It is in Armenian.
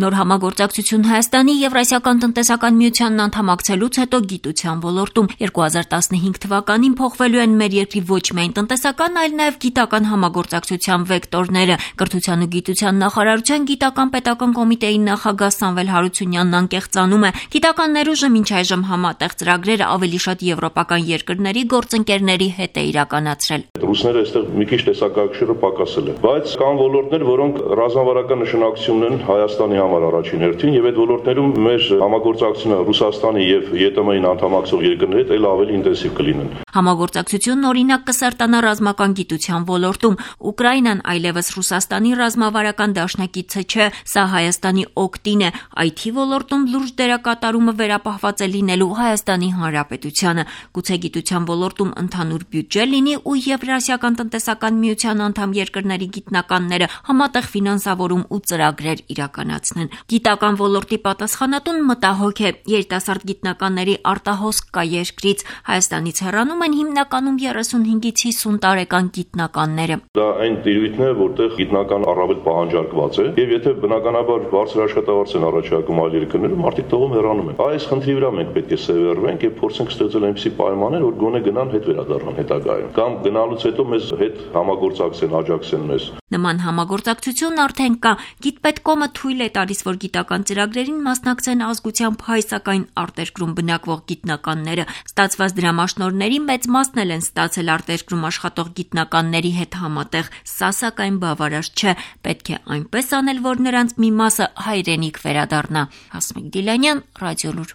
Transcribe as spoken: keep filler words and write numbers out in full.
Նոր համագործակցություն Հայաստանի Եվրասիական տնտեսական միությանն անդամակցելուց հետո գիտության ոլորտում երկու հազար տասնհինգ թվականին փոխվելու են մեր երկրի ոչ միայն տնտեսական, այլ նաև գիտական համագործակցության վեկտորները։ Կրթության ու գիտության նախարարության գիտական պետական կոմիտեի նախագահ Սամվել Հարությունյանն անկեղծանում է, գիտական ներուժը մինչ այժմ համատեղ ծրագրերը ավելի շատ եվրոպական երկրների գործընկերների հետ է իրականացրել։ Ռուսները այստեղ մի քիչ տեսակակշիռը պակասել է, բայց կան ոլորտներ, որոնք ռազմավարական նշանակություն ունեն Հայաստանի համար առաջին հերթին, եւ այդ ոլորտներում մեր համագործակցությունը Ռուսաստանի եւ ԵՏՄ-ին անդամակցող երկրների հետ ավելի ինտենսիվ կլինեն։ Համագործակցությունն օրինակ կսերտանա ռազմական գիտության ոլորտում։ Ուկրաինան այլևս Ռուսաստանի ռազմավարական դաշնակիցը չէ, սա Հայաստանի օգտին է։ Այ թի ոլորտում լուրջ դերակատարումը վերապահված է լինելու Հայաստանի Հանրապետությանը։ Գուցե գիտության ոլորտում ընդհանուր բյուջե լինի ու Եվրասիական տնտեսական միության անդամ երկրների գիտնականները համատեղ ֆինանսավորում ու ծրագրեր իրականացնեն։ Գիտական ոլորտի պատասխանատուն մտահոգ է, երիտասարդ գիտնականների արտահոսք կա երկրից, Հայաստանից հեռանում են հիմնականում երեսունհինգից հիսուն տարեկան գիտնականները։ Դա այն տիրույթն է, որտեղ գիտնական առավել պահանջարկված է, եւ եթե բնականաբար բարձր աշխատավարձ են առաջարկում այլ երկրներում, մարդիկ տողում հեռանում են։ Այս խնդրի վրա մենք պետք է սևեռվենք եւ փորձենք ստեղծել այնպիսի պայմաններ, որ գոնե գնան հետ վերադառնան հետագայում, կամ գնալուց հետո մեզ հետ համագործակցեն, աջակցեն մեզ։ Նման համագործակցություն արդեն կա։ Գիտպետկոմը թույլ է տալիս, որ գիտական ծրագրերին մասնակցեն ազգությամբ հայ, սակայն արտերկրում բնակվող գիտնականները։ Ստացված դրամաշնորհների մեծ մասն էլ են ստացել արտերկրում աշխատող գիտնականների հետ համատեղ։ Սա սակայն բավարար չէ։ Պետք է այնպես անել, որ նրանց մի մասը հայրենիք վերադառնա։ Հասմիկ Դիլանյան, Ռադիոլուր։